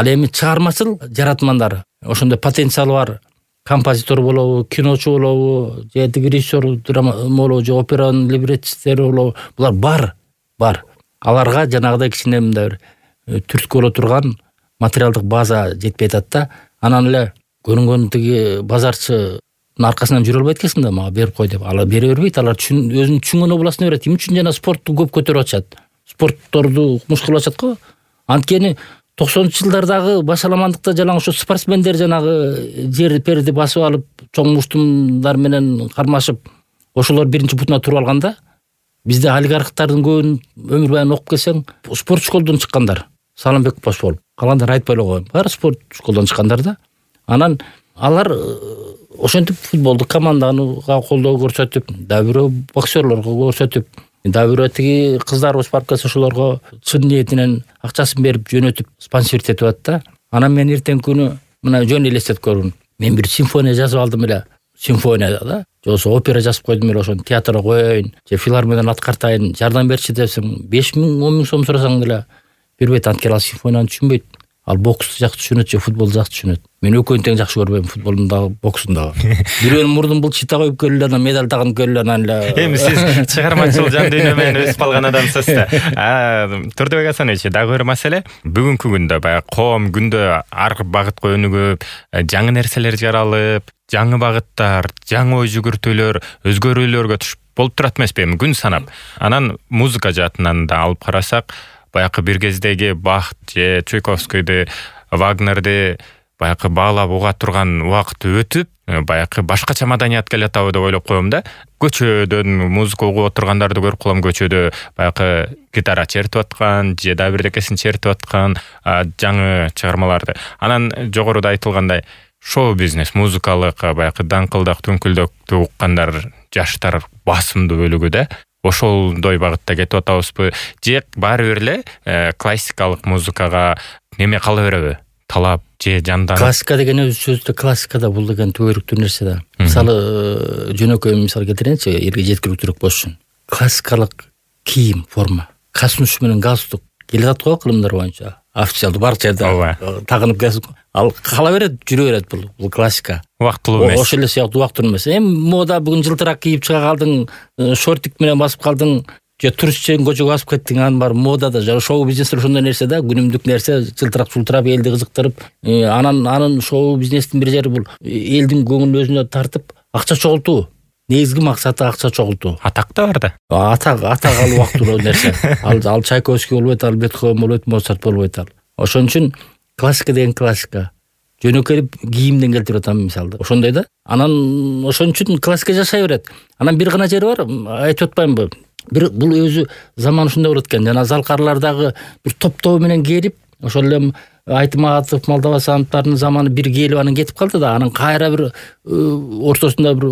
Ал эми чыгармачыл жаратмандар, ошондой потенциалы бар композитор болобу, киночу болобу, же режиссер болобу, же операнын либреттистери болобу, булар бар. Аларга жанагыдай кичине мындай бир түрткү боло турган материалдык база жетпей атат да. Анан эле көрүнгөн тиги базарчы аркасынан жүрө албайт экенсиң да, мага берип кой деп. Алар бере бербейт, алар өзүнүн түшүнгөн областына берет. Эмне үчүн жана спортту көп көтөрүп атышат? Спортторду укмуш кылып атышат го. Анткени 90-жылдардагы башаламандыкта жалаң ошо спортсмендер жанагы жер перди басып алып, чоң муштумдар менен кармашып, ошолор биринчи бутуна туруп алганда, бизде олигархтардын көбүн өмүр баyon окуп келсең, спорт школдон чыккандар. Салымбек бош болуп, калгандар айтпай эле коеюн. Баары спорт школдон чыккандар да. Анан алар ошентип футболдук командага колдоо көрсөтүп, дагы бирөө боксерлорго көрсөтүп, дагы бирөө тиги кыздарыбыз барып ошолорго чын ниетинен акчасын берип жөнөтүп спонсорить этип атат да. Анан мен эртең күнү мына жөн элестетип көрүн. Мен бир симфония жазып алдым эле. Симфония да. Же опера жазып койдум эле, ошону театрга коеюн, же филармониядан аткартайын, жардам берчи десең, 5 миң, 10 миң сом сурасаң деле бербейт. Анткени ал симфонияны түшүнбөйт. Ал боксту жакшы түшүнөт, же футболду жакшы түшүнөт. Мен экөөнү тең жакшы көрбөйм, футболдун дагы, бокстун дагы. Бирөөнүн мурдун булчита коюп келе, анан медаль тагынып келе, анан эле. Эми сиз чыгармачыл жан дүйнө менен өсүп калган адамсыз да. Турдубек Асанович, дагы бир маселе. Бүгүнкү күндө баягы коом күндө ар багытка өнүгүп, жаңы нерселер жаралып, жаңы багыттар, жаңы ой жүгүртүүлөр, өзгөрүүлөргө түшүп болуп турат эмеспи эми күн санап. Анан музыка жаатынан да алып карасак, баягы бир кездеги Бах же Чайковскийди, Вагнерди баягы баалап уга турган убакыт өтүп, баягы башкача маданият келатабы деп ойлоп коем да. Көчөдөн музыка угуп отургандарды көрүп калам, көчөдө баягы гитара чертип аткан, же да бирдекесин чертип аткан жаңы чыгармаларды. Анан жогоруда айтылгандай, шоу бизнес, музыкалык баягы даңкылдак, түнкүлдөктү уккандар жаштар басымдуу бөлүгү да. Ошолдой багытта кетип атабызбы? Же баары бир эле классикалык музыкага неме кала береби? Талап же жандан. Классика деген өз сөздө классикада бул деген түбөрүктүү нерсе да. Мисалы жөнөкөй мисал келтирейинчи, элге жеткиликтүүрөөк болуш үчүн. Классикалык кийим, форма, касуш менен галстук келе жатат го кылымдар боюнча. Официалдуу бар жерде тагынып келсин. Ал кала берет, жүрө берет бул классика. Убактылуу эмес. Ошол эле сыяктуу убактылуу эмес. Эми мода бүгүн жылтырак кийип чыга калдың, шортик менен басып калдың, же туристчен көчөгө басып кеттиң, анын баары модада, же шоу бизнесте ошондой нерсе да, күнүмдүк нерсе, жылтырак жылтырап элди кызыктырып, анын шоу бизнестин бир жери бул элдин көңүлүн өзүнө тартып, акча чогултуу. Негизги максаты акча чогултуу. Атак да бар да. Атак ал убактылуу нерсе. Ал Чайковский болбойт, ал Бетховен болбойт, Моцарт болбойт ал. Ошон үчүн классика деген классика. Жөнөкөй кийимден келтирип атам мисалды. Ошондой да. Анан ошон үчүн классика жашай берет. Анан бир гана жери бар, айтып атпаймынбы? Бул өзү заман ушундай болот экен. Жана залкарлардагы бир топтоо менен келип, ошол эле Айтматов, Молдовасановдун заманы бир келип анан кетип калды да. Анан кайра бир ортосунда бир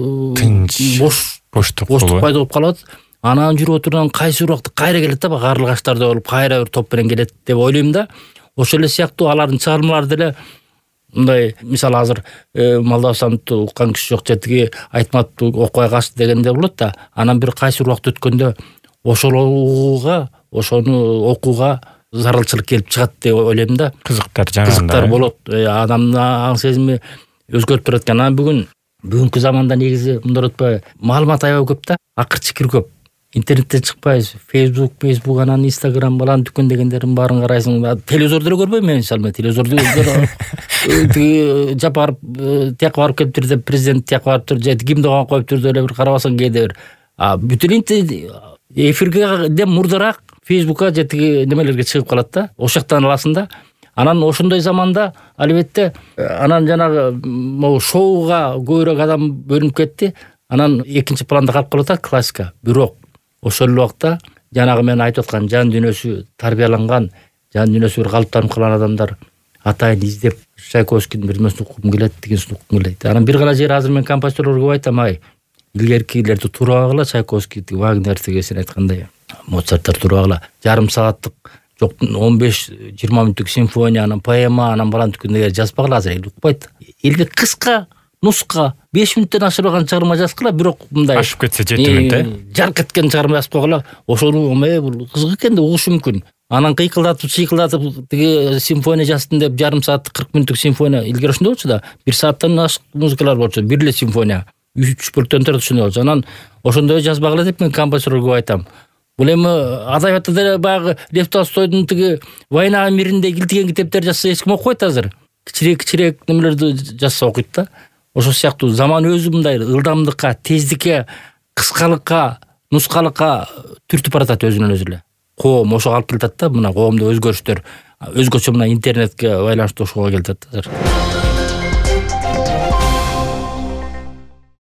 боштук пайда болуп калат. Анан жүрүп отурган кайсы убакта кайра келет да, карлыгаштарда болуп, кайра бир топ менен келет деп ойлойм да. Ошол эле сыяктуу алардын чыгармалары деле мындай, мисалы азыр Молдовасановду уккан киши жок, жетиги Айтматовду окубай калышты дегенде болот да. Анан бир кайсы убакыт өткөндө ошону окууга зарылчылык келип чыгат деп ойлойм да. Кызыктар болот. Адамдын аң сезими өзгөрүп турат экен. Анан бүгүнкү заманда негизи мындай өтпөй, маалымат аябай көп да, акыр чикир көп. Интернеттен чыкпайбыз, Facebook, анан Instagram балан дүкөн дегендердин баарын карайсың. Телевизорду эле көрбөйм мен, мисалы, телевизорду жапарып, тияка барып келиптир деп, президент тияка барыптыр, же гимн коюптур деп эле бир карабасаң кээде бир. Бүт эфирге мурдараак Facebookка же тиги немелерге чыгып калат да. Ошол жактан аласың да. Анан ошондой заманда албетте анан жанагы могу шоуга көбүрөөк адам бөлүнүп кетти. Анан экинчи планда калып калат классика. Бирок ошол убакта жанагы мен айтып аткан жан дүйнөсү тарбияланган, жан дүйнөсү бир калыптанып калган адамдар атайын издеп Чайковскийдин бир нерсесин уккум келет, дегенсин уккум келет. Анан бир гана жери азыр мен композиторлорго айтам, илгеркилерди туурабагыла, Чайковскийди, Вагнерди сен айткандай, Моцарттар туурабагыла. Жарым сааттык, жок 15-20 мүнөттүк симфония, анан поэма, анан балан түкүндөгө жазбагыла, азыр эл укпайт. Элге кыска нуска 5 мүнөттөн ашырбаган чыгарма жазгыла, бирок мындай ашып кетсе 7 мүнөт, жарк эткен чыгарма жазып койгула. Ошону бул кызык экен деп угушу мүмкүн. анан чыйкылдатып тиги симфония жаздым деп жарым саат 40 мүнөттүк симфония илгери ошондой болчу да. 1 сааттан ашык музыкалар болчу. Бир эле симфония 3 бөлүктөн турат ошондой болчу. Анан ошондой жазбагыла деп мен композиторго айтам. Бул эми адабиятта деле баягы Лев Толстойдун тиги «Война миринде» килтиген китептер жазса эч ким окубайт азыр. Кичирээк немелерди жазса окуйт да. Ошол сыяктуу заман өзү мындай ылдамдыкка, тездикке, кыскалыкка, нускалыкка түртүп баратат өзүнөн өзү эле. Коом ошого алып келатат да, мына коомдо өзгөрүштөр өзгөчө мына интернетке байланыштуу ошого келатат азыр.